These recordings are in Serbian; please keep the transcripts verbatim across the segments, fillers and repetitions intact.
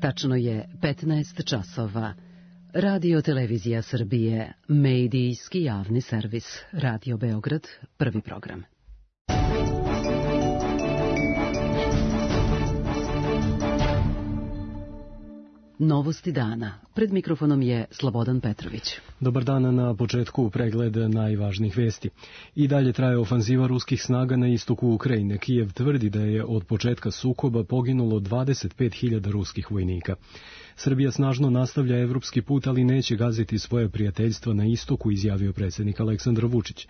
Tačno je petnaest časova. Radio Televizija Srbije, medijski javni servis, Radio Beograd, prvi program. Novosti dana. Pred mikrofonom je Slobodan Petrović. Dobar dan, na početku pregled najvažnijih vesti. I dalje traje ofanziva ruskih snaga na istoku Ukrajine. Kijev tvrdi da je od početka sukoba poginulo dvadeset pet hiljada ruskih vojnika. Srbija snažno nastavlja evropski put, ali neće gaziti svoje prijateljstvo na istoku, izjavio predsjednik Aleksandar Vučić.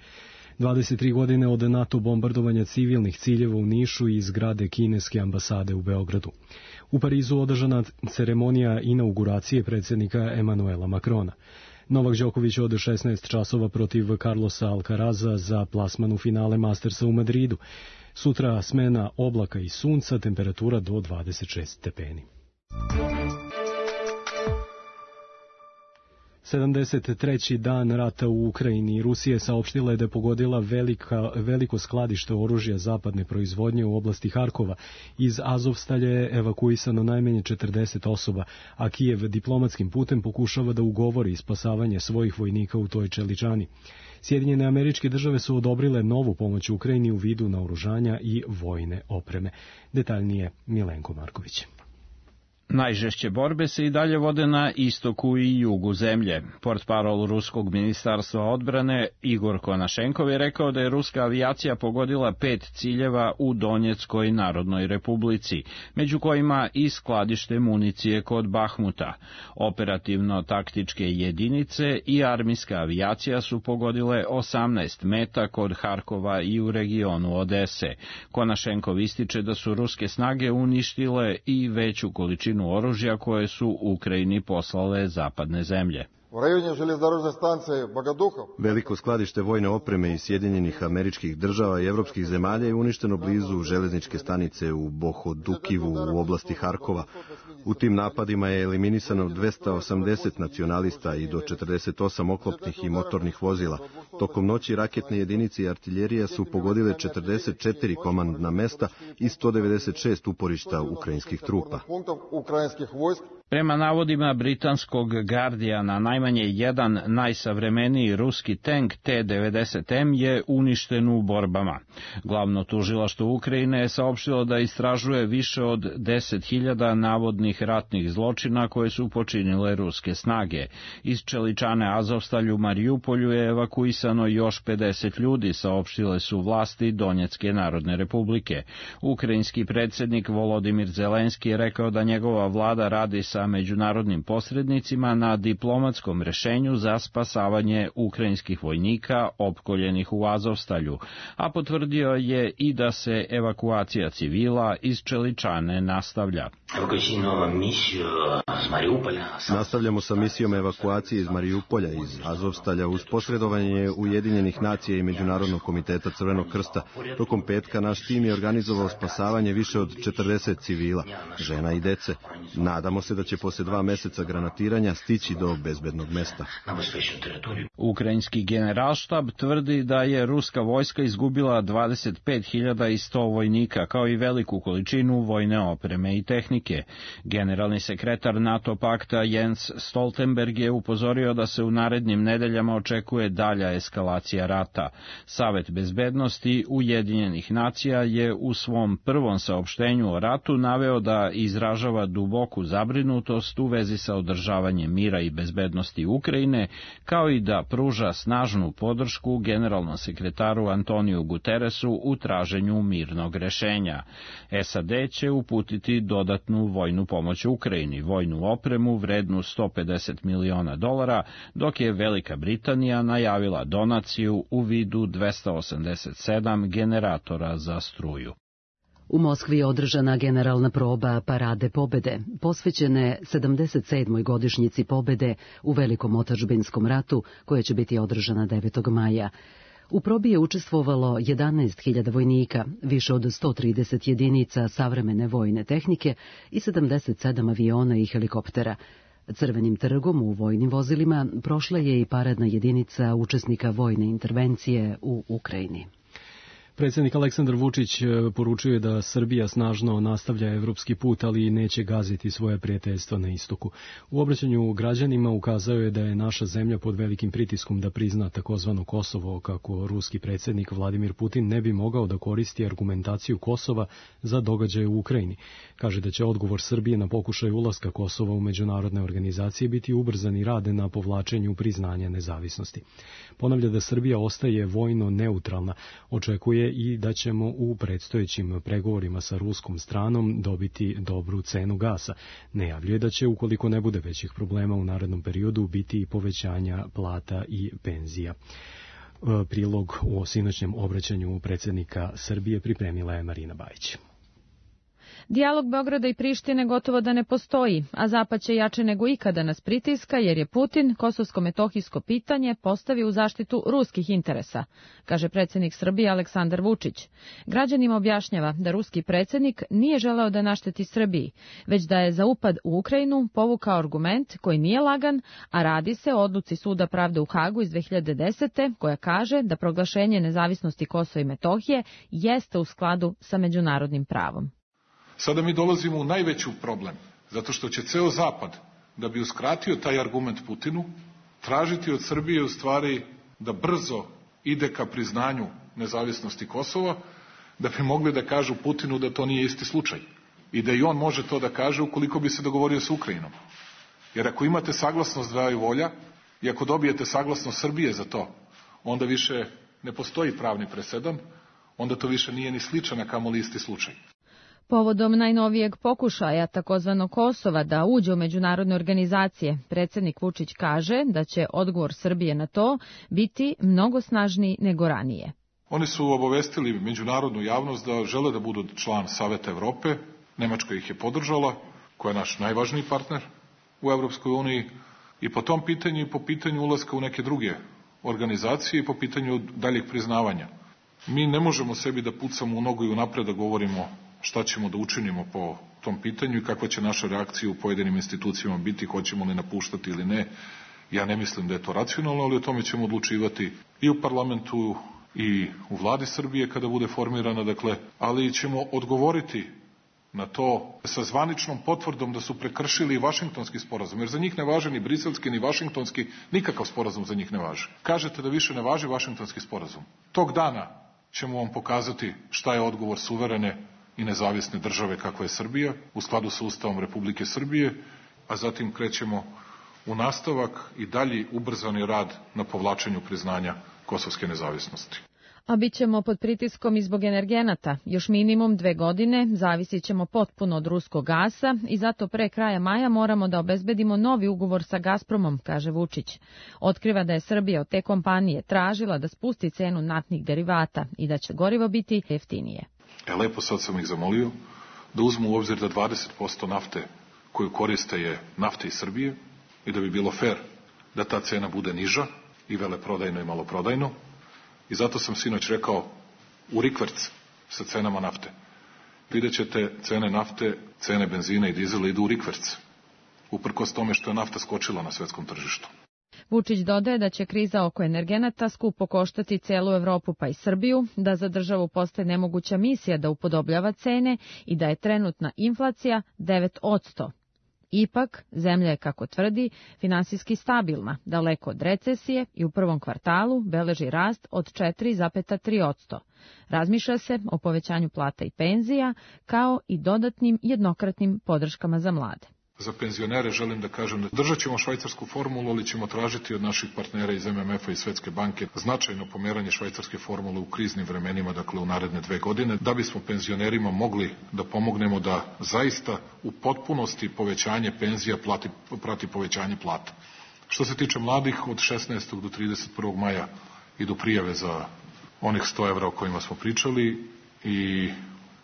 dvadeset tri godine od NATO bombardovanja civilnih ciljeva u Nišu i zgrade kineske ambasade u Beogradu. U Parizu održana ceremonija inauguracije predsjednika Emanuela Makrona. Novak Đoković od šesnaest časova protiv Carlosa Alcaraza za plasman u finale Mastersa u Madridu. Sutra smena oblaka i sunca, temperatura do dvadeset šest stepeni. sedamdeset treći dan rata u Ukrajini. Rusija je saopštila da je pogodila velika, veliko skladište oružja zapadne proizvodnje u oblasti Harkova. Iz Azovstalja je evakuisano najmanje četrdeset osoba, a Kijev diplomatskim putem pokušava da ugovori spasavanje svojih vojnika u toj čeličani. Sjedinjene Američke Države su odobrile novu pomoć Ukrajini u vidu naoružanja i vojne opreme. Detaljnije Milenko Marković. Najžešće borbe se i dalje vode na istoku i jugu zemlje. Portparol Ruskog ministarstva odbrane Igor Konašenkov je rekao da je ruska avijacija pogodila pet ciljeva u Donjeckoj Narodnoj Republici, među kojima i skladište municije kod Bahmuta. Operativno-taktičke jedinice i armijska avijacija su pogodile osamnaest meta kod Harkova i u regionu Odese. Konašenkov ističe da su ruske snage uništile i veću količinu oružja koje su Ukrajini poslale zapadne zemlje. Veliko skladište vojne opreme iz Sjedinjenih Američkih Država i evropskih zemalja je uništeno blizu železničke stanice u Bohodukivu u oblasti Harkova. U tim napadima je eliminisano dvesta osamdeset nacionalista i do četrdeset osam oklopnih i motornih vozila. Tokom noći raketne jedinice i artiljerija su pogodile četrdeset četiri komandna mesta i sto devedeset šest uporišta ukrajinskih trupa. Prema navodima britanskog Guardiana, najmanje jedan najsavremeniji ruski tank T devedeset M je uništen u borbama. Glavno tužilaštvo Ukrajine je saopštilo da istražuje više od deset hiljada navodnih ratnih zločina koje su počinile ruske snage. Iz čeličane Azovstalj u Marijupolju je evakuisano još pedeset ljudi, saopštile su vlasti Donjecke Narodne Republike. Ukrajinski predsjednik Volodimir Zelenski je rekao da njegova vlada radi sa međunarodnim posrednicima na diplomatskom rešenju za spasavanje ukrajinskih vojnika opkoljenih u Azovstalju, a potvrdio je i da se evakuacija civila iz čeličane nastavlja. Nastavljamo sa misijom evakuacije iz Marijupolja, iz Azovstalja, uz posredovanje Ujedinjenih nacija i Međunarodnog komiteta Crvenog krsta. Tokom petka naš tim je organizovao spasavanje više od četrdeset civila, žena i dece. Nadamo se da će posle dva meseca granatiranja stići do bezbednog mesta. Ukrajinski generalštab tvrdi da je ruska vojska izgubila dvadeset pet hiljada sto vojnika, kao i veliku količinu vojne opreme i tehnike. Generalni sekretar NATO pakta Jens Stoltenberg je upozorio da se u narednim nedeljama očekuje dalja eskalacija rata. Savet bezbednosti Ujedinjenih nacija je u svom prvom saopštenju o ratu naveo da izražava duboku zabrinutost u vezi sa održavanjem mira i bezbednosti Ukrajine, kao i da pruža snažnu podršku generalnom sekretaru Antoniju Guteresu u traženju mirnog rešenja. S A D će uputiti dodatnu vojnu pomoć Ukrajini, vojnu opremu vrednu sto pedeset miliona dolara, dok je Velika Britanija najavila donaciju u vidu dvesta osamdeset sedam generatora za struju. U Moskvi je održana generalna proba Parade pobede, posvećene sedamdeset sedmoj godišnjici pobede u Velikom otadžbinskom ratu, koja će biti održana devetog maja. U probi je učestvovalo jedanaest hiljada vojnika, više od sto trideset jedinica savremene vojne tehnike i sedamdeset sedam aviona i helikoptera. Crvenim trgom u vojnim vozilima prošla je i paradna jedinica učesnika vojne intervencije u Ukrajini. Predsjednik Aleksandar Vučić poručuje da Srbija snažno nastavlja evropski put, ali neće gaziti svoje prijateljstvo na istoku. U obraćanju građanima ukazao je da je naša zemlja pod velikim pritiskom da prizna takozvano Kosovo, kako ruski predsjednik Vladimir Putin ne bi mogao da koristi argumentaciju Kosova za događaje u Ukrajini. Kaže da će odgovor Srbije na pokušaj ulaska Kosova u međunarodne organizacije biti ubrzani rad na povlačenju priznanja nezavisnosti. Ponavlja da Srbija ostaje vojno neutralna, očekuje i da ćemo u predstojećim pregovorima sa ruskom stranom dobiti dobru cenu gasa. Najavljuje da će, ukoliko ne bude većih problema u narednom periodu, biti i povećanja plata i penzija. Prilog u sinoćnjem obraćanju predsjednika Srbije pripremila je Marina Bajić. Dijalog Beograda i Prištine gotovo da ne postoji, a Zapad će jače nego ikada nas pritiska jer je Putin kosovsko-metohijsko pitanje postavio u zaštitu ruskih interesa, kaže predsjednik Srbije Aleksandar Vučić. Građanima objašnjava da ruski predsjednik nije želeo da našteti Srbiji, već da je za upad u Ukrajinu povukao argument koji nije lagan, a radi se o odluci Suda pravde u Hagu iz dve hiljade desete. koja kaže da proglašenje nezavisnosti Kosova i Metohije jeste u skladu sa međunarodnim pravom. Sada mi dolazimo u najveći problem, zato što će ceo Zapad, da bi uskratio taj argument Putinu, tražiti od Srbije u stvari da brzo ide ka priznanju nezavisnosti Kosova, da bi mogli da kažu Putinu da to nije isti slučaj i da i on može to da kaže ukoliko bi se dogovorio sa Ukrajinom. Jer ako imate saglasnost dvaju volja i ako dobijete saglasnost Srbije za to, onda više ne postoji pravni presedan, onda to više nije ni sličan, a kamoli isti slučaj. Povodom najnovijeg pokušaja takozvano Kosova da uđe u međunarodne organizacije, predsjednik Vučić kaže da će odgovor Srbije na to biti mnogo snažniji nego ranije. Oni su obavestili međunarodnu javnost da žele da budu član Saveta Evrope, Nemačka ih je podržala, koja je naš najvažniji partner u Evropskoj uniji, i po tom pitanju i po pitanju ulaska u neke druge organizacije i po pitanju daljeg priznavanja. Mi ne možemo sebi da pucamo u nogu i unapred da govorimo šta ćemo da učinimo po tom pitanju i kakva će naša reakcija u pojedinim institucijama biti, hoćemo li napuštati ili ne. Ja ne mislim da je to racionalno, ali o tome ćemo odlučivati i u parlamentu i u vladi Srbije kada bude formirana, dakle, ali ćemo odgovoriti na to sa zvaničnom potvrdom da su prekršili i Vašingtonski sporazum, jer za njih ne važe ni briselski, ni vašingtonski, nikakav sporazum za njih ne važi. Kažete da više ne važi Vašingtonski sporazum. Tog dana ćemo vam pokazati šta je odgovor suverene i nezavisne države kakva je Srbija, u skladu sa Ustavom Republike Srbije, a zatim krećemo u nastavak i dalji ubrzani rad na povlačenju priznanja kosovske nezavisnosti. A bit ćemo pod pritiskom i zbog energenata. Još minimum dve godine zavisit ćemo potpuno od ruskog gasa i zato pre kraja maja moramo da obezbedimo novi ugovor sa Gazpromom, kaže Vučić. Otkriva da je Srbija od te kompanije tražila da spusti cenu naftnih derivata i da će gorivo biti jeftinije. E, lepo sad sam ih zamolio da uzmu u obzir da dvadeset posto nafte koju koriste je nafta iz Srbije i da bi bilo fair da ta cena bude niža i veleprodajno i maloprodajno. I zato sam sinoć rekao u rikverc sa cenama nafte. Vidjet ćete cene nafte, cene benzina i dizela idu u rikverc, uprkos tome što je nafta skočila na svetskom tržištu. Vučić dodaje da će kriza oko energenata skupo koštati celu Evropu pa i Srbiju, da za državu postaje nemoguća misija da upodobljava cene i da je trenutna inflacija devet posto. Ipak, zemlja je, kako tvrdi, finansijski stabilna, daleko od recesije i u prvom kvartalu beleži rast od četiri zarez tri posto. Razmišlja se o povećanju plata i penzija, kao i dodatnim jednokratnim podrškama za mlade. Za penzionere želim da kažem da držat ćemo švajcarsku formulu, ali ćemo tražiti od naših partnera iz em em efa i Svetske banke značajno pomeranje švajcarske formule u kriznim vremenima, dakle u naredne dve godine, da bismo penzionerima mogli da pomognemo da zaista u potpunosti povećanje penzija plati, prati povećanje plata. Što se tiče mladih, od šesnaestog do trideset prvog maja idu prijave za onih sto evra o kojima smo pričali i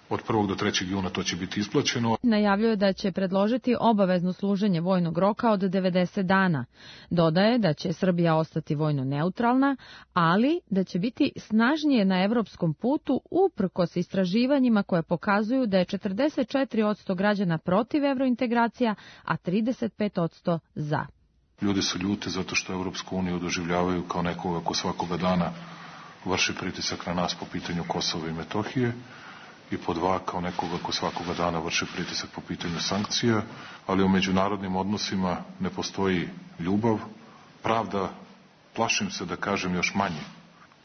od prvog do trećeg juna to će biti isplaćeno. Najavljuje da će predložiti obavezno služenje vojnog roka od devedeset dana. Dodaje da će Srbija ostati vojno neutralna, ali da će biti snažnije na evropskom putu uprkos istraživanjima koje pokazuju da je četrdeset četiri posto građana protiv evrointegracija, a trideset pet posto za. Ljudi su ljuti zato što Evropsku uniju doživljavaju kao nekoga ko svakoga dana vrši pritisak na nas po pitanju Kosova i Metohije, i po dva, kao nekoga ko svakoga dana vrši pritisak po pitanju sankcija, ali u međunarodnim odnosima ne postoji ljubav, pravda, plašim se da kažem još manje,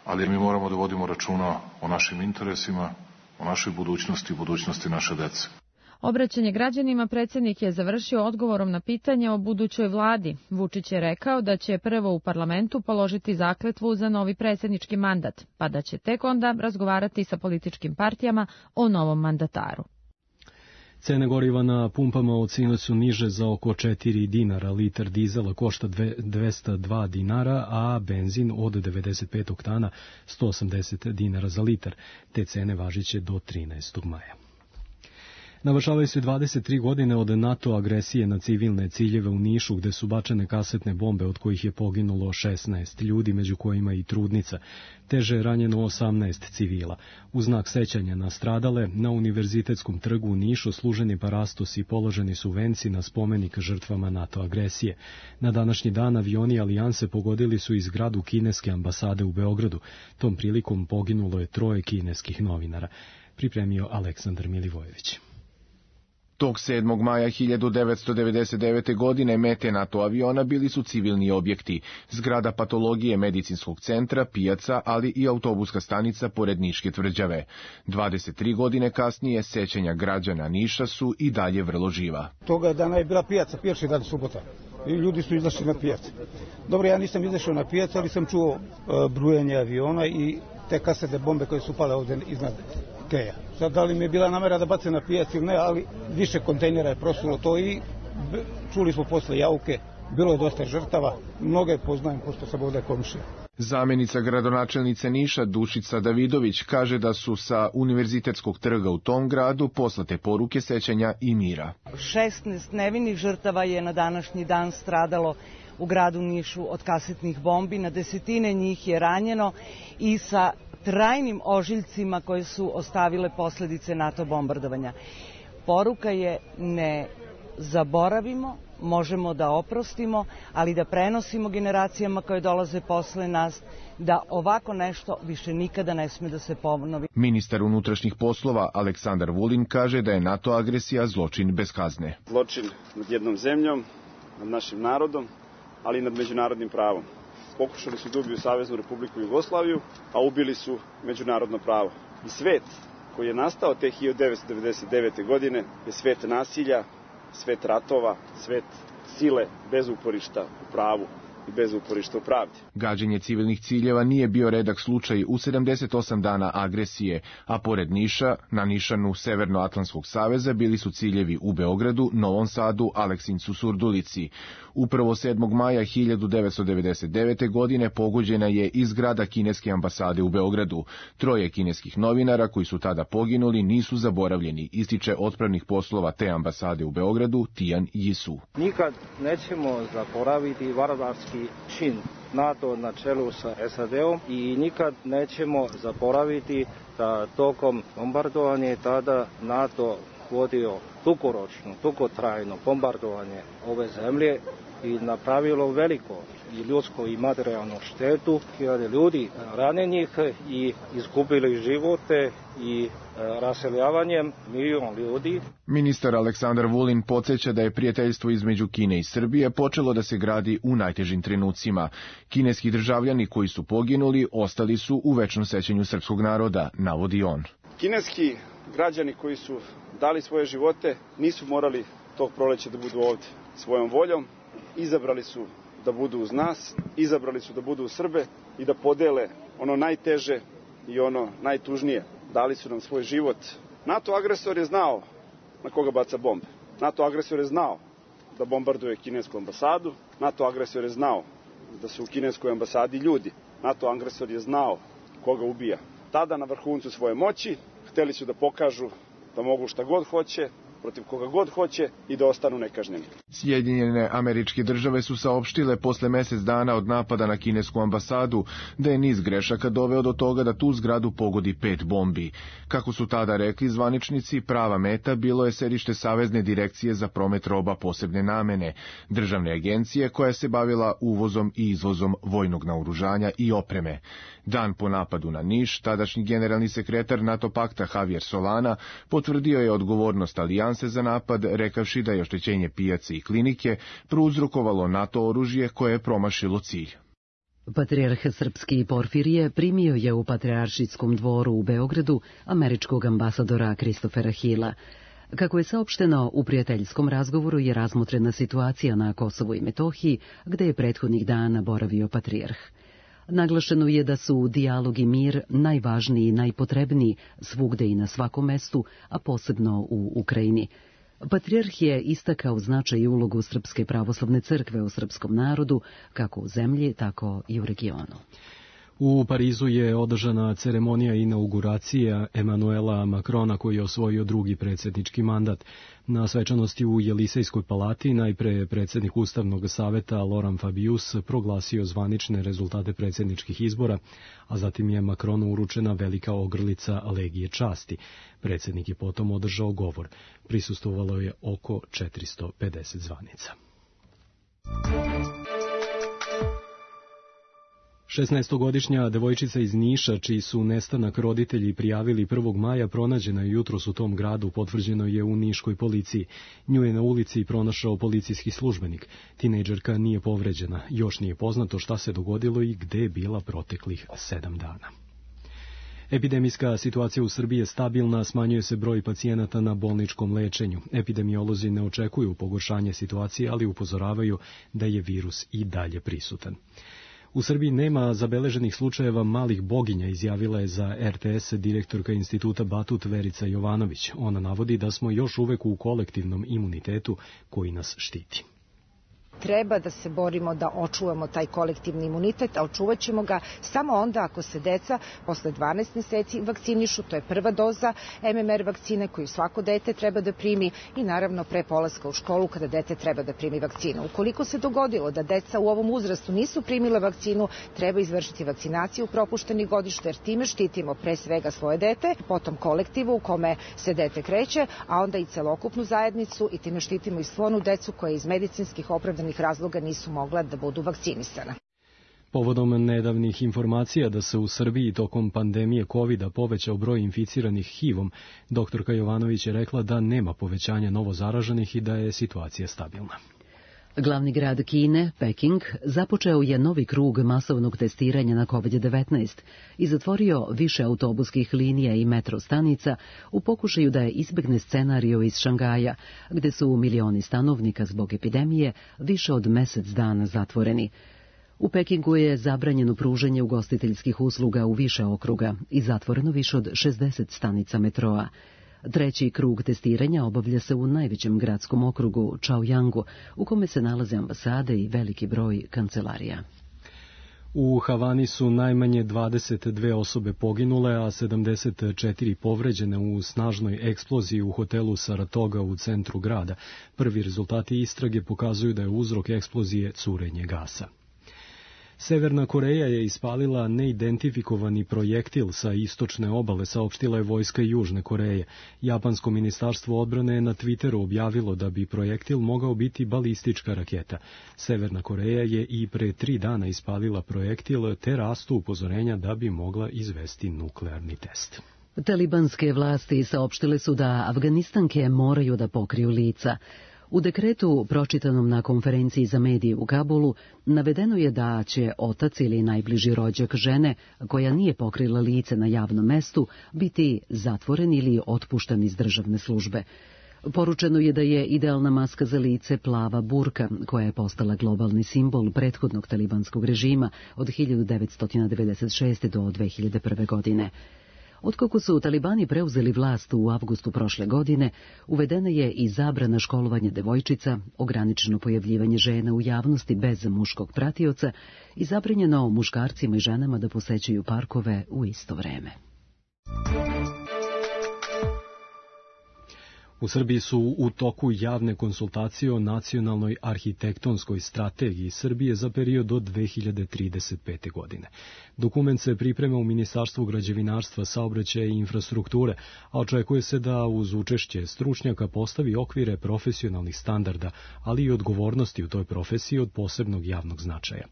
ali mi moramo da vodimo računa o našim interesima, o našoj budućnosti i budućnosti naše dece. Obraćanje građanima predsjednik je završio odgovorom na pitanje o budućoj vladi. Vučić je rekao da će prvo u parlamentu položiti zakletvu za novi predsjednički mandat, pa da će tek onda razgovarati sa političkim partijama o novom mandataru. Cene goriva na pumpama od sinoć su niže za oko četiri dinara, litar dizela košta dvesta dva dinara, a benzin od devedeset pet oktana sto osamdeset dinara za litar. Te cene važiće do trinaestog maja. Navršavaju se dvadeset tri godine od NATO agresije na civilne ciljeve u Nišu, gde su bačene kasetne bombe, od kojih je poginulo šesnaest ljudi, među kojima i trudnica. Teže je ranjeno osamnaest civila. U znak sećanja na stradale, na Univerzitetskom trgu u Nišu služen je parastos i položeni su venci na spomenik žrtvama NATO agresije. Na današnji dan avioni Alijanse pogodili su i zgradu kineske ambasade u Beogradu. Tom prilikom poginulo je troje kineskih novinara. Pripremio Aleksandar Milivojević. Tog sedmog maja hiljadu devetsto devedeset devete. godine mete NATO aviona bili su civilni objekti, zgrada patologije medicinskog centra, pijaca, ali i autobuska stanica pored Niške tvrđave. dvadeset tri godine kasnije sećanja građana Niša su i dalje vrlo živa. Toga dana je bila pijaca, pijačni dan subota. I ljudi su izašli na pijac. Dobro, ja nisam izašao na pijac, ali sam čuo uh, brujanje aviona i te kasetne bombe koje su pale ovde iznad Keja. Sad, da li mi je bila namera da bace na pijac ili ne, ali više kontejnera je prosulo to i čuli smo posle jauke, bilo je dosta žrtava, mnoge poznajem pošto sam ovde komšija. Zamenica gradonačelnice Niša Dušica Davidović kaže da su sa Univerzitetskog trga u tom gradu poslate poruke sećanja i mira. šesnaest nevinih žrtava je na današnji dan stradalo u gradu Nišu od kasetnih bombi, na desetine njih je ranjeno i sa trajnim ožiljcima koje su ostavile posledice NATO bombardovanja. Poruka je ne zaboravimo, možemo da oprostimo, ali da prenosimo generacijama koje dolaze posle nas, da ovako nešto više nikada ne sme da se ponovi. Ministar unutrašnjih poslova Aleksandar Vulin kaže da je NATO agresija zločin bez kazne. Zločin nad jednom zemljom, nad našim narodom, ali i nad međunarodnim pravom. Pokušali su da ubiju Saveznu Republiku Jugoslaviju, a ubili su međunarodno pravo. I svet koji je nastao te hiljadu devetsto devedeset devete. godine je svet nasilja, svet ratova, svet sile bez uporišta u pravu i bez uporišta u pravdi. Gađenje civilnih ciljeva nije bio redak slučaj u sedamdeset osam dana agresije, a pored Niša, na nišanu Severnoatlantskog saveza bili su ciljevi u Beogradu, Novom Sadu, Aleksincu, Surdulici. Upravo sedmog maja hiljadu devetsto devedeset devete. godine pogođena je i zgrada kineske ambasade u Beogradu. Troje kineskih novinara koji su tada poginuli nisu zaboravljeni, ističe otpravnik poslova te ambasade u Beogradu Tijan Jisu. Nikad nećemo zaboraviti varvarski čin NATO na čelu sa S A D-om i nikad nećemo zaboraviti da tokom bombardovanja tada NATO vodio dugoročno, dugotrajno bombardovanje ove zemlje i napravilo veliko i ljudsko i materijalnu štetu, hiljade ljudi ranjenih i izgubili živote i raseljavanjem milion ljudi. Ministar Aleksandar Vulin podsjeća da je prijateljstvo između Kine i Srbije počelo da se gradi u najtežim trenucima. Kineski državljani koji su poginuli ostali su u večnom sećanju srpskog naroda, navodi on. Kineski građani koji su dali svoje živote nisu morali tog proleća da budu ovde svojom voljom, izabrali su da budu uz nas, izabrali su da budu uz Srbe i da podele ono najteže i ono najtužnije. Dali su nam svoj život. NATO agresor je znao na koga baca bombe. NATO agresor je znao da bombarduje kinesku ambasadu. NATO agresor je znao da su u kineskoj ambasadi ljudi. NATO agresor je znao koga ubija. Tada na vrhuncu svoje moći hteli su da pokažu da mogu šta god hoće, protiv koga god hoće i da ostanu nekažnjeni. Sjedinjene Američke Države su saopštile posle mesec dana od napada na kinesku ambasadu da je niz grešaka doveo do toga da tu zgradu pogodi pet bombi. Kako su tada rekli zvaničnici, prava meta bilo je sedište Savezne direkcije za promet roba posebne namene, državne agencije koja se bavila uvozom i izvozom vojnog naoružanja i opreme. Dan po napadu na Niš, tadašnji generalni sekretar NATO pakta Javier Solana potvrdio je odgovornost alijanse za napad, rekavši da je oštećenje pijace i klinike prouzrokovalo NATO oružje koje je promašilo cilj. Patrijarh srpski Porfirije primio je u Patrijaršijskom dvoru u Beogradu američkog ambasadora Kristofera Hila. Kako je saopšteno, u prijateljskom razgovoru je razmotrena situacija na Kosovu i Metohiji, gde je prethodnih dana boravio patrijarh. Naglašeno je da su dijalog i mir najvažniji i najpotrebniji svugde i na svakom mestu, a posebno u Ukrajini. Patrijarh je istakao značaj i ulogu Srpske pravoslavne crkve u srpskom narodu, kako u zemlji, tako i u regionu. U Parizu je održana ceremonija inauguracije Emanuela Macrona, koji je osvojio drugi predsjednički mandat. Na svečanosti u Jelisejskoj palati najpre predsjednik Ustavnog saveta Laurent Fabius proglasio zvanične rezultate predsjedničkih izbora, a zatim je Macronu uručena velika ogrlica Legije časti. Predsjednik je potom održao govor. Prisustvovalo je oko četiristo pedeset zvanica. šesnaestogodišnja devojčica iz Niša, čiji su nestanak roditelji prijavili prvog maja, pronađena je jutros u tom gradu, potvrđeno je u niškoj policiji. Nju je na ulici pronašao policijski službenik. Tinejdžerka nije povređena. Još nije poznato šta se dogodilo i gde je bila proteklih sedam dana. Epidemijska situacija u Srbiji je stabilna, smanjuje se broj pacijenata na bolničkom lečenju. Epidemiolozi ne očekuju pogoršanje situacije, ali upozoravaju da je virus i dalje prisutan. U Srbiji nema zabeleženih slučajeva malih boginja, izjavila je za er te es direktorka instituta Batut Verica Jovanović. Ona navodi da smo još uvek u kolektivnom imunitetu koji nas štiti. Treba da se borimo da očuvamo taj kolektivni imunitet, a očuvat ćemo ga samo onda ako se deca posle dvanaest meseci vakcinišu. To je prva doza em em er vakcine koju svako dete treba da primi i naravno pre polaska u školu kada dete treba da primi vakcinu. Ukoliko se dogodilo da deca u ovom uzrastu nisu primile vakcinu, treba izvršiti vakcinaciju propuštenih godišta, jer time štitimo pre svega svoje dete, potom kolektivu u kome se dete kreće, a onda i celokupnu zajednicu, i time štitimo i svu onu decu koja iz medicinskih opravdanih razloga nisu mogla da budu vakcinisana. Povodom nedavnih informacija da se u Srbiji tokom pandemije kovida povećao broj inficiranih hivom, doktorka Jovanović je rekla da nema povećanja novozaraženih i da je situacija stabilna. Glavni grad Kine, Peking, započeo je novi krug masovnog testiranja na kovid devetnaest i zatvorio više autobuskih linija i metro stanica u pokušaju da je izbegne scenariju iz Šangaja, gde su milioni stanovnika zbog epidemije više od mesec dana zatvoreni. U Pekingu je zabranjeno pružanje ugostiteljskih usluga u više okruga i zatvoreno više od šezdeset stanica metroa. Treći krug testiranja obavlja se u najvećem gradskom okrugu, Chaoyangu, u kome se nalaze ambasade i veliki broj kancelarija. U Havani su najmanje dvadeset dve osobe poginule, a sedamdeset četiri povređene u snažnoj eksploziji u hotelu Saratoga u centru grada. Prvi rezultati istrage pokazuju da je uzrok eksplozije curenje gasa. Severna Koreja je ispalila neidentifikovani projektil sa istočne obale, saopštila je vojska Južne Koreje. Japansko ministarstvo odbrane je na Twitteru objavilo da bi projektil mogao biti balistička raketa. Severna Koreja je i pre tri dana ispalila projektil, te rastu upozorenja da bi mogla izvesti nuklearni test. Talibanske vlasti saopštile su da Afganistanke moraju da pokriju lica. U dekretu, pročitanom na konferenciji za medije u Kabulu, navedeno je da će otac ili najbliži rođak žene, koja nije pokrila lice na javnom mestu, biti zatvoren ili otpušten iz državne službe. Poručeno je da je idealna maska za lice plava burka, koja je postala globalni simbol prethodnog talibanskog režima od hiljadu devetsto devedeset šeste. do dve hiljade prve. godine. Otkako su talibani preuzeli vlast u avgustu prošle godine, uvedena je i zabrana školovanja devojčica, ograničeno pojavljivanje žena u javnosti bez muškog pratioca i zabranjeno muškarcima i ženama da posećuju parkove u isto vreme. U Srbiji su u toku javne konsultacije o nacionalnoj arhitektonskoj strategiji Srbije za period do dve hiljade trideset pete. godine. Dokument se priprema u Ministarstvu građevinarstva, saobraćaja i infrastrukture, a očekuje se da uz učešće stručnjaka postavi okvire profesionalnih standarda, ali i odgovornosti u toj profesiji od posebnog javnog značaja.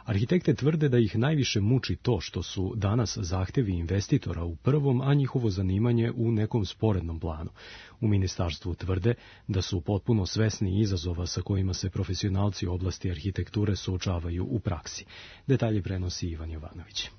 Arhitekte tvrde da ih najviše muči to što su danas zahtevi investitora u prvom, a njihovo zanimanje u nekom sporednom planu. U ministarstvu tvrde da su potpuno svesni izazova sa kojima se profesionalci u oblasti arhitekture suočavaju u praksi. Detalje prenosi Ivan Jovanović.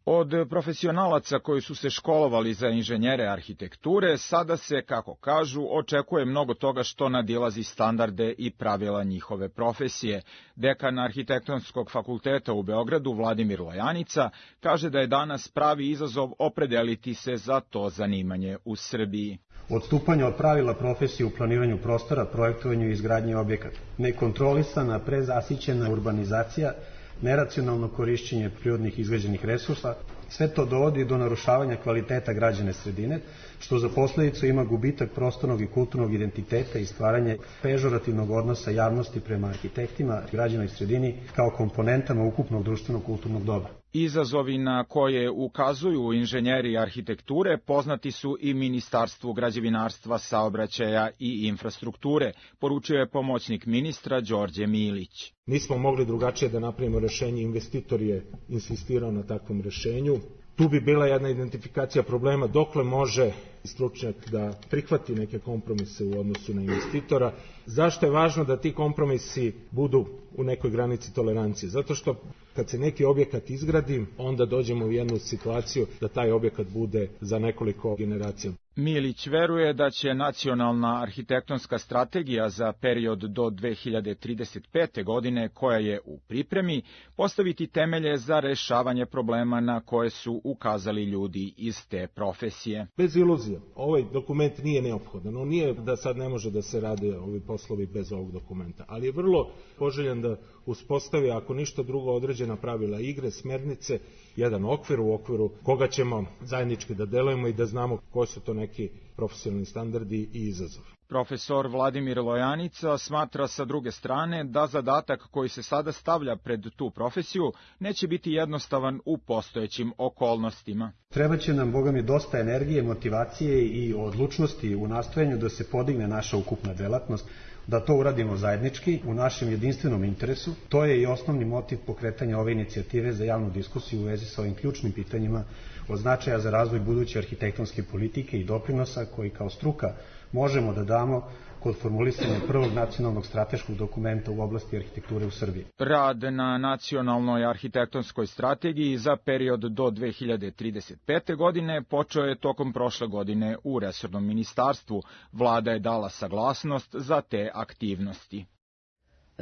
Od profesionalaca koji su se školovali za inženjere arhitekture, sada se, kako kažu, očekuje mnogo toga što nadilazi standarde i pravila njihove profesije. Dekan Arhitektonskog fakulteta u Beogradu, Vladimir Lojanica, kaže da je danas pravi izazov opredeliti se za to zanimanje u Srbiji. Odstupanje od pravila profesije u planiranju prostora, projektovanju i izgradnji objekata, nekontrolisana, prezasićena urbanizacija, neracionalno korišćenje prirodnih izgrađenih resursa, sve to dovodi do narušavanja kvaliteta građane sredine, što za posledicu ima gubitak prostornog i kulturnog identiteta i stvaranje pežorativnog odnosa javnosti prema arhitektima, građanoj sredini kao komponentama ukupnog društvenog kulturnog dobra. Izazovi na koje ukazuju inženjeri arhitekture poznati su i Ministarstvu građevinarstva, saobraćaja i infrastrukture, poručio je pomoćnik ministra Đorđe Milić. Nismo mogli drugačije da napravimo rešenje, investitor je insistirao na takvom rešenju. Tu bi bila jedna identifikacija problema dokle može stručnjak da prihvati neke kompromise u odnosu na investitora. Zašto je važno da ti kompromisi budu u nekoj granici tolerancije? Zato što kad se neki objekat izgradi, onda dođemo u jednu situaciju da taj objekat bude za nekoliko generacija. Milić veruje da će nacionalna arhitektonska strategija za period do dve hiljade trideset pete. godine, koja je u pripremi, postaviti temelje za rešavanje problema na koje su ukazali ljudi iz te profesije. Bez iluzija, ovaj dokument nije neophodan. On nije da sad ne može da se rade ovi poslovi bez ovog dokumenta, ali je vrlo poželjan da uspostavi, ako ništa drugo, određena pravila igre, smernice, jedan okvir u okviru koga ćemo zajednički da delujemo i da znamo koji su to neki profesionalni standardi i izazovi. Profesor Vladimir Lojanica smatra sa druge strane da zadatak koji se sada stavlja pred tu profesiju neće biti jednostavan u postojećim okolnostima. Trebaće nam, Boga mi, dosta energije, motivacije i odlučnosti u nastojanju da se podigne naša ukupna delatnost, da to uradimo zajednički, u našem jedinstvenom interesu. To je i osnovni motiv pokretanja ove inicijative za javnu diskusiju u vezi sa ovim ključnim pitanjima od značaja za razvoj buduće arhitektonske politike i doprinosa koji kao struka možemo da damo kod formulisanja prvog nacionalnog strateškog dokumenta u oblasti arhitekture u Srbiji. Rad na nacionalnoj arhitektonskoj strategiji za period do dve hiljade trideset pete. godine počeo je tokom prošle godine u resornom ministarstvu. Vlada je dala saglasnost za te aktivnosti.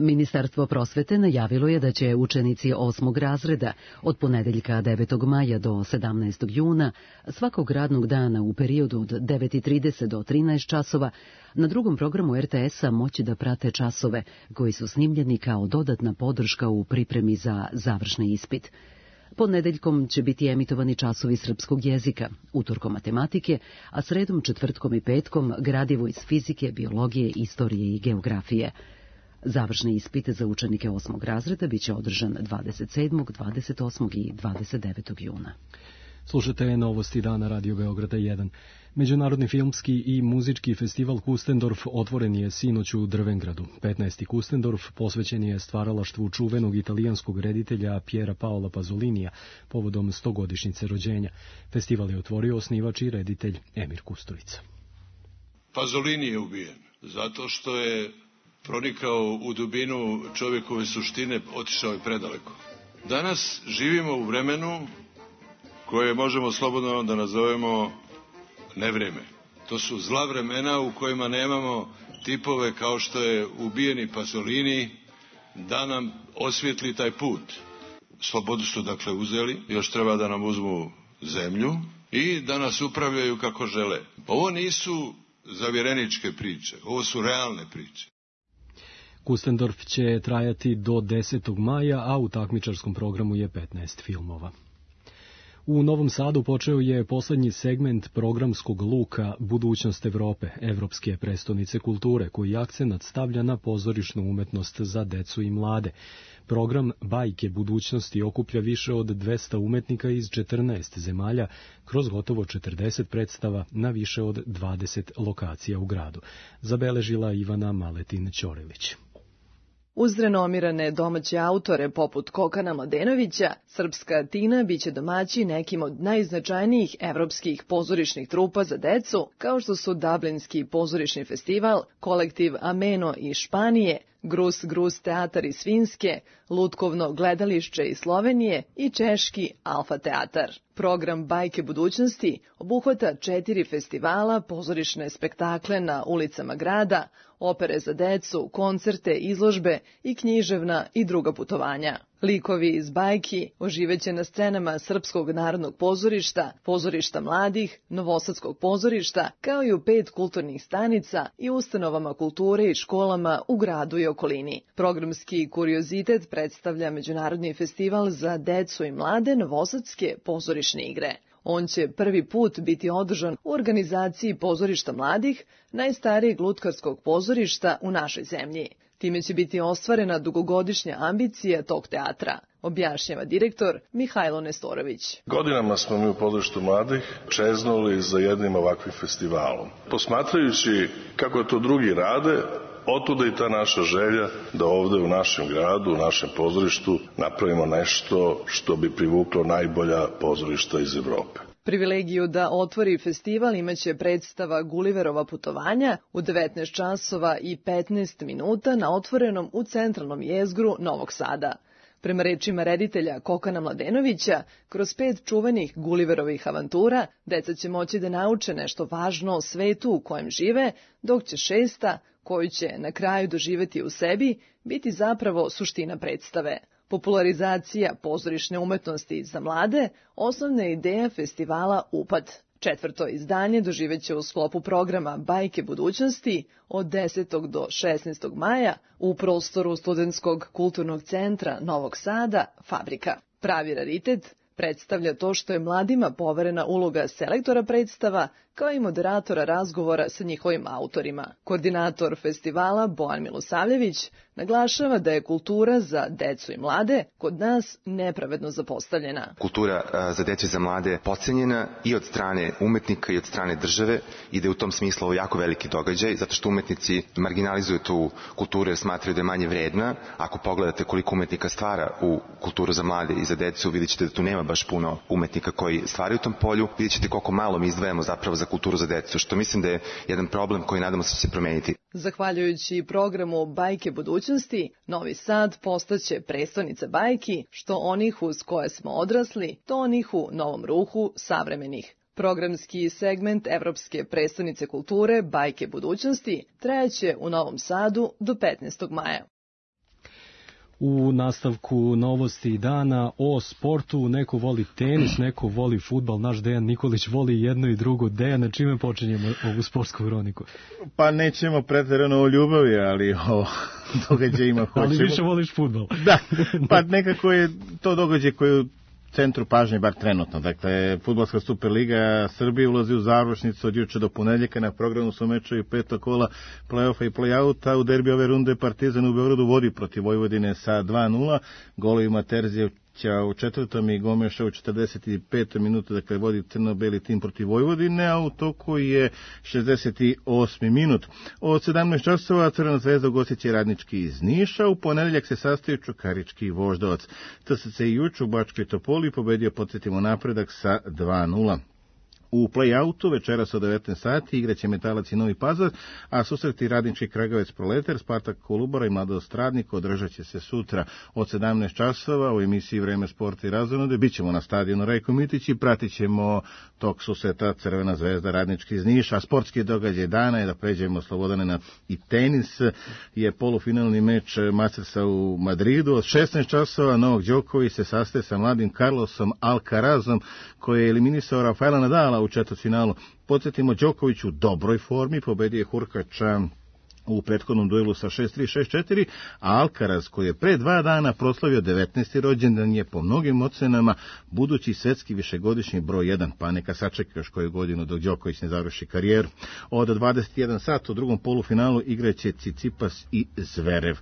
Ministarstvo prosvete najavilo je da će učenici osmog razreda od ponedeljka devetog maja do sedamnaestog juna svakog radnog dana u periodu od devet i trideset do trinaest časova na drugom programu er te es-a moći da prate časove koji su snimljeni kao dodatna podrška u pripremi za završni ispit. Ponedeljkom će biti emitovani časovi srpskog jezika, utorkom matematike, a sredom, četvrtkom i petkom gradivo iz fizike, biologije, istorije i geografije. Završni ispit za učenike osmog razreda biće održan dvadeset sedmog, dvadeset osmog i dvadeset devetog juna. Slušate Novosti dana Radio Beograda jedan. Međunarodni filmski i muzički festival Kustendorf otvoren je sinoć u Drvengradu. petnaesti. Kustendorf posvećen je stvaralaštvu čuvenog italijanskog reditelja Piera Paola Pazolinija povodom stogodišnjice rođenja. Festival je otvorio osnivač i reditelj Emir Kusturica. Pazolini je ubijen zato što je pronikao u dubinu čovjekove suštine, otišao je predaleko. Danas živimo u vremenu koje možemo slobodno da nazovemo nevreme. To su zla vremena u kojima nemamo tipove kao što je ubijeni Pasolini da nam osvijetli taj put. Slobodu su dakle uzeli, još treba da nam uzmu zemlju i da nas upravljaju kako žele. Ovo nisu zavjereničke priče, ovo su realne priče. Kustendorf će trajati do desetog maja, a u takmičarskom programu je petnaest filmova. U Novom Sadu počeo je poslednji segment programskog luka Budućnost Evrope, Evropske prestonice kulture, koji akcenat stavlja na pozorišnu umetnost za decu i mlade. Program Bajke budućnosti okuplja više od dvesta umetnika iz četrnaest zemalja kroz gotovo četrdeset predstava na više od dvadeset lokacija u gradu. Zabeležila Ivana Maletin-Ćorilić. Uz renomirane domaće autore poput Kokana Mladenovića, Srpska Tina biće domaći nekim od najznačajnijih evropskih pozorišnih trupa za decu, kao što su Dublinski pozorišni festival, kolektiv Ameno iz Španije, Grus Grus teatar iz Finske, Lutkovno gledališće iz Slovenije i češki Alfa teatar. Program Bajke budućnosti obuhvata četiri festivala, pozorišne spektakle na ulicama grada, opere za decu, koncerte, izložbe i književna i druga putovanja. Likovi iz bajki oživeće na scenama Srpskog narodnog pozorišta, pozorišta mladih, Novosadskog pozorišta, kao i u pet kulturnih stanica i ustanovama kulture i školama u gradu i okolini. Programski kuriozitet predstavlja Međunarodni festival za decu i mlade Novosadske pozorišne igre. On će prvi put biti održan u organizaciji pozorišta mladih, najstarijeg lutkarskog pozorišta u našoj zemlji. Time će biti ostvarena dugogodišnja ambicija tog teatra, objašnjava direktor Mihajlo Nestorović. Godinama smo mi u pozorištu mladih čeznuli za jednim ovakvim festivalom. Posmatrajući kako to drugi rade, otuda i ta naša želja da ovde u našem gradu, u našem pozorištu napravimo nešto što bi privuklo najbolja pozorišta iz Evrope. Privilegiju da otvori festival imaće predstava Guliverova putovanja u devetnaest časova i petnaest minuta na otvorenom u centralnom jezgru Novog Sada. Prema rečima reditelja Kokana Mladenovića, kroz pet čuvenih Guliverovih avantura, deca će moći da nauče nešto važno o svetu u kojem žive, dok će šesta, koju će na kraju doživeti u sebi, biti zapravo suština predstave. Popularizacija pozorišne umetnosti za mlade, osnovna je ideja festivala Upad. Četvrto izdanje doživeće u sklopu programa Bajke budućnosti od desetog do šesnaestog maja u prostoru Studentskog kulturnog centra Novog Sada, Fabrika. Pravi raritet predstavlja to što je mladima poverena uloga selektora predstava, kao i moderatora razgovora sa njihovim autorima. Koordinator festivala Bojan Milosavljević naglašava da je kultura za decu i mlade kod nas nepravedno zapostavljena. Kultura za decu i za mlade podcenjena i od strane umetnika i od strane države i da je u tom smislu ovo jako veliki događaj, zato što umetnici marginalizuju tu kulturu jer smatraju da je manje vredna. Ako pogledate koliko umetnika stvara u kulturu za mlade i za decu, vidjet ćete da tu nema baš puno umetnika koji stvaraju u tom polju. Vidjet ćete koliko malo mi izdvajamo zapravo za kulturu za decu, što mislim da je jedan problem koji nadamo se će se promeniti. Zahvaljujući programu Bajke budućnosti, Novi Sad postaće prestonica bajki, što onih uz koje smo odrasli, to onih u novom ruhu savremenih. Programski segment Evropske prestonice kulture Bajke budućnosti trajaće u Novom Sadu do petnaestog maja. U nastavku novosti dana o sportu, neko voli tenis, neko voli fudbal, naš Dejan Nikolić voli jedno i drugo. Dejan, na čime počinjemo ovu sportsku hroniku? Pa nećemo pretjerano o ljubavi, ali o događajima hoćemo. Ali više voliš fudbal. Da, pa nekako je to događaj koji centru pažnje, bar trenutno. Dakle, Fudbalska Superliga Srbije ulazi u završnicu od juče do ponedjeljka. Na programu su mečevi petog kola play-offa i play-outa. U derbi ove runde Partizan u Beogradu vodi protiv Vojvodine sa dva nula. Golovima Terzijevića u četvrtom i Gomeša u četrdeset petom minutu, dakle vodi crno-beli tim protiv Vojvodine, a u toku je šezdeset osmi minut. Od sedamnaest časova Crvena zvezda ugostit će Radnički iz Niša, u ponedeljak se sastaju Čukarički i Voždovac. T S C juče u Bačkoj Topoli pobedio, podsjetimo, napredak sa dva nula. U play-outu večeras od devetnaest sati igraće Metalac i Novi Pazar, a susreti Radnički Kragovec Proletar, Spartak Kolubara i Mladost Radnik održat će se sutra od sedamnaest časova u emisiji Vreme sporta i razonode. Bićemo na stadionu Rajko Mitić i pratit ćemo tok susreta Crvena zvezda Radnički iz Niša. A sportski događaj dana je, da pređemo Slobodane na i tenis, je polufinalni meč Mastersa u Madridu. Od šesnaest časova Novak Đoković se sastaje sa mladim Carlosom Alcarazom, koji je eliminisao Rafaela Nadala u četvrtfinalu. Podsjetimo, Đoković u dobroj formi, pobedio je Hurkača u prethodnom duelu sa šest tri šest četiri, a Alcaraz, koji je pre dva dana proslavio devetnaesti rođendan, je po mnogim ocenama budući svetski višegodišnji broj jedan, pa neka sačeka još koju godinu dok Đoković ne završi karijeru. Od dvadeset jedan sat u drugom polufinalu igraće Cicipas i Zverev.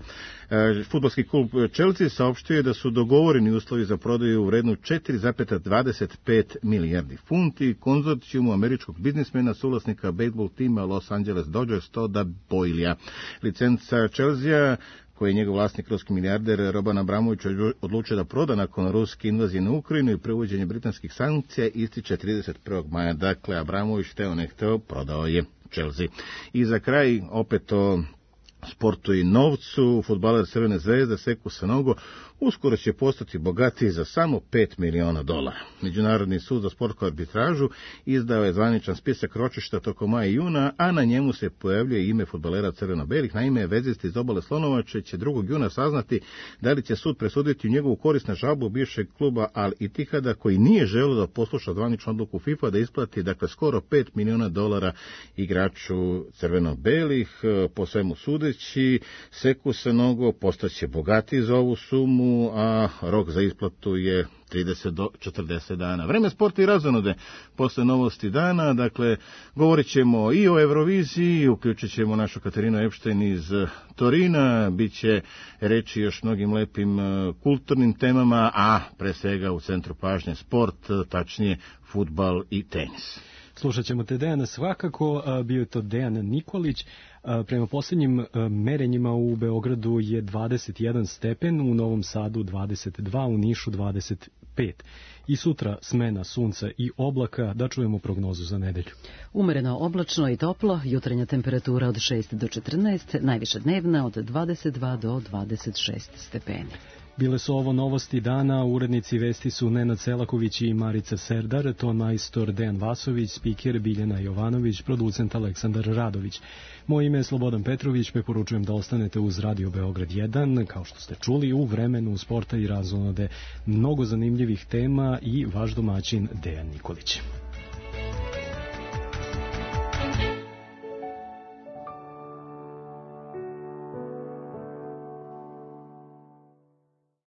E, Fudbalski klub Chelsea saopštio je da su dogovoreni uslovi za prodaju u vrednu četiri zarez dvadeset pet milijardi funti konzorcijumu američkog biznismena, suvlasnika bejsbol tima Los Angeles Dodgers, Toda Boylea. Licenca Chelsea, koji je njegov vlasnik, ruski milijarder Roman Abramović, odlučio da proda nakon ruske invazije na Ukrajinu i prevođenje britanskih sankcija, ističe trideset prvog maja. Dakle, Abramović, hteo ne hteo, prodao je Chelsea. I za kraj, opet o sportu i novcu, fudbaler Crvene zvezde Sekou Sanogo uskoro će postati bogatiji za samo pet miliona dolara. Međunarodni sud za sportsku arbitražu izdao je zvaničan spisak ročišta tokom maja i juna, a na njemu se pojavljuje ime fudbalera crveno-belih. Naime, vezisti iz obale Slonovače će drugog juna saznati da li će sud presuditi u njegovu korist na žalbu bivšeg kluba Al Ittihada, koji nije želeo da posluša zvaničnu odluku FIFA da isplati, dakle, skoro pet miliona dolara igraču crveno-belih. Po svemu sudeći, Sekou Sanogo postaće bogatiji za ovu sumu, a rok za isplatu je trideset do četrdeset dana. Vreme sporta i razonode posle novosti dana, dakle, govorit ćemo i o Euroviziji, uključit ćemo našu Katarinu Epštajn iz Torina, bit će reći još mnogim lepim kulturnim temama, a pre svega u centru pažnje sport, tačnije fudbal i tenis. Slušat ćemo te Dejana svakako, bio je to Dejan Nikolić. Prema posljednjim merenjima u Beogradu je dvadeset jedan stepen, u Novom Sadu dvadeset dva, u Nišu dvadeset pet. I sutra smena sunca i oblaka, da čujemo prognozu za nedelju. Umereno oblačno i toplo, jutrenja temperatura od šest do četrnaest, najviša dnevna od dvadeset dva do dvadeset šest stepeni. Bile su ovo novosti dana, urednici vesti su Nenad Selaković i Marica Serdar, ton majstor Dejan Vasović, spiker Biljana Jovanović, producent Aleksandar Radović. Moje ime je Slobodan Petrović, preporučujem da ostanete uz Radio Beograd jedan, kao što ste čuli, u vremenu sporta i razonode mnogo zanimljivih tema i vaš domaćin Dejan Nikolić.